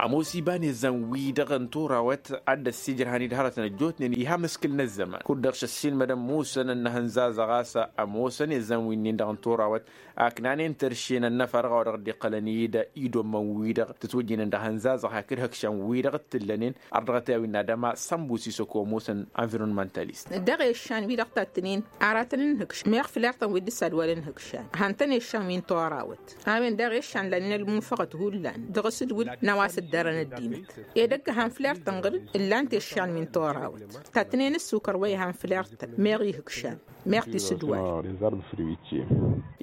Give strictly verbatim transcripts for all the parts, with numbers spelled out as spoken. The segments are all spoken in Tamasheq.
Ămoos iba n-ezzan-wi-dăɣ n-torawăt ad-dd-ăssiijrăhăn-dd hărătăn ăjjootnen iha mǝskǝl n-ăzzăman kud-dăɣ šăssiilmădăn musăn ănnăhănzazăɣ a-s ămoosăn ezzan-winnin-dăɣ n-torawăt. Aknanen terše n-ănnăfa dăɣ-a-wa dăɣ-dd-iqqălăn i-dd idommăn-wi-dăɣ tǝtwăjjǝynen dăɣ-ihănzazăɣ hakd ihăkšan-wi-dăɣ t-tǝllănen. Ărdăɣăt i-a-wi n-adăma sănbus isăko ămoosăn anvirunmăntalist. Dăɣ-eššan-wi-dăɣ tattǝnen aratăn n-ihǝkš meɣ fǝl irtăn wi dd-ǝssadwalăn ihǝkšan hantăn eššan wi n-torawăt. A-wen daɣ eššan lanen ălmunfăɣăt hullan dăɣ-asǝdwǝl n-a-wa s-ǝddarăn ăddinăt. Edăgg han fǝl irtăn ɣǝr-dd ǝllan-t eššan wi n-torawăt. Tattǝnen ǝssukăr wa ihan fǝl irtăn meɣ ihǝkšan meɣ tisǝdwal.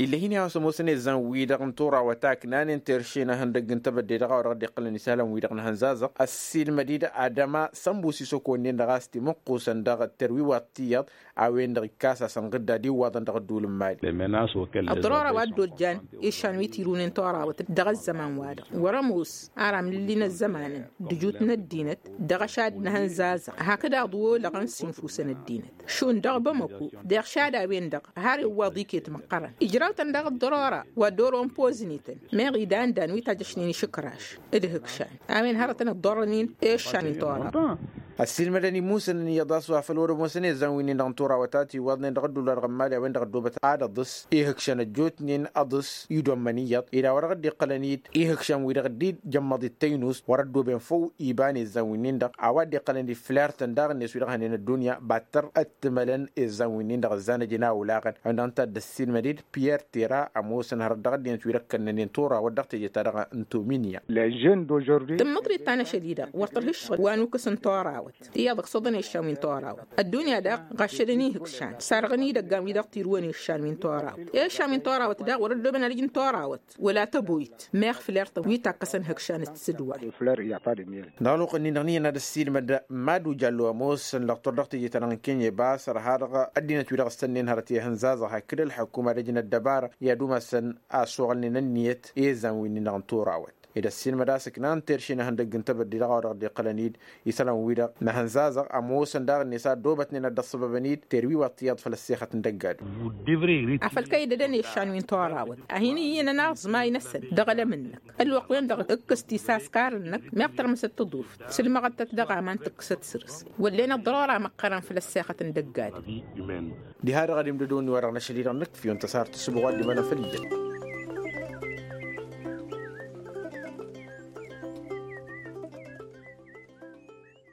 Ill'-e-hin i-a-wa s-ămoosăn ezzan-wi-dăɣ n-torawăt a ǝknanen terše n-ehăndăgg n-tebădde dăɣ-a-wa dăɣ-dd-iqqălăn isălan-wi-dăɣ n-ehănzazăɣ ăssiilmăd-dd adăma sănbus isăko-nin-dăɣ a-s timǝqqusăn dăɣ-terwiwaḍt tiyyăḍ. A-wen-dăɣ ikkas-asăn ɣǝdda d-iwwaḍăn dăɣ-ădduul n-mali. Ăḍror a-wa dd-ojjan išan wi tirunen torawăt dăɣ-ăzzăman-wa-dăɣ wăr-ămoos ar amlǝlli n-ăzzămanăn d-ǝjut n-ăddinăt dăɣ-ašad n-ehănzazăɣ hakd aḍu olăɣăn s-infusăn ăddinăt. Šund dăɣ-bamăko deɣ šad a-wen-dăɣ har iwwaḍ iket măqqărăn ijraw-tăn daɣ ăḍḍărora wa dd-oron pozǝnităn. Meɣ idan-dan wi tajjăšnen išǝkraš d-ihǝkšan a-wen hărătăn ăḍḍărrăn-in i-iššan n-tora. Ăssiilmădăn imusăn n-iyyăḍ a-s wa făl wăr-ămoosăn ezzan-winnin-dăɣ n-tura wa ta tiwwaḍnen dăɣ-ădduul-wa-dăɣ n-mali a-wen-dăɣ ăddoobăt ad-ăḍǝs ihǝkšăn ăjjootnen ăḍǝs. Idommăn iyyăḍ ila wa dăɣ-dd-iqqălăn-dd ihǝkšan-wi-dăɣ dd-ijămmăḍ d-tăynust wăr-ăddooben făw iba n-ezzan-winnin-dăɣ a-wa dd-iqqălăn-dd fǝl irtăn daɣ-net wi-dăɣ hănen ăddunya battăr ăttǝmălăn ezzan-winnin-dăɣ ǝzzanăjăn a olaɣăn. Ăwăn dăɣ-nǝta dd-ăssiilmăd-dd piyăr tera ămoosăn hărăt dăɣ-ăddinăt wi dăɣ-kănnănen torawăt dăɣ-teje-ta-dăɣ n-tominya. Tǝmmǝḍrit ta n-ašăl-i-dăɣ wăr tărha ǝššăɣǝl wa nukǝs n-torawăt iyyăḍ ǝksuḍăn i-ăššan wi n-torawăt. Ăddunya daɣ ɣaššădăn ihǝkšan sarɣăn idăggan wi dăɣ-tirǝwăn i-ăššan wi n-torawăt i-ăššan wi n-torawăt daɣ wăr-ăddooben alǝj n-torawăt. Wăla tăboyt meɣ fǝl irtăn wi takkăsăn ihǝkšan d-tisǝdwal. Dăɣ-ălwăqq-nin-dăɣ n-iyyăn ad-ăssiilmăd mad-ujallu ămoosăn lăɣtur dăɣ-teje-ta-dăɣ n-kenya ibas ărha dăɣ-ăddinăt wi-dăɣ s-tănnen hărăt i-ihǝnzazăɣ hakd ălḥukuma ad-ăj n-ăddăbara i-ad-umasăn a ăsuɣălnen ănniyăt i-ezzan-winnin-dăɣ n-torawăt. Ed ăssiilmăd a-s ǝknan terše n-ehăndăgg n-tebădde dăɣ-a-wa dăɣ-dd-iqqălăn-dd isălan-wi-dăɣ n-ehănzazăɣ ămoosăn daɣ-net a ăddoobătnen ad-dd-ăṣṣăbăbăn-dd terwiwaḍt iyyăḍ făll-ăssexăt n-dăgg-adǝm. Afăl kăy-dd-ădăn i-ăššan wi n-torawăt a hin-iyyǝnăn aẓmay-năsăn dăɣ-elăm-năk. Ălwăqq-wen-dăɣ ǝkkǝs tisaskar-năk meɣ tărmǝsăt tăḍuft s-ǝlmăɣăttăt dăɣ-aman tǝkkǝsăt săr-s. Wăllen ăḍrora măqqărăn făll-ăssexăt n-dăgg-adǝm. Diha-dăɣ ad-imdădon wi-wa-dăɣ n-ašăl-i-dăɣ nǝkf'-iwăn tăsart s-ǝbɣu ad-dd-imănăn făll-ijăn.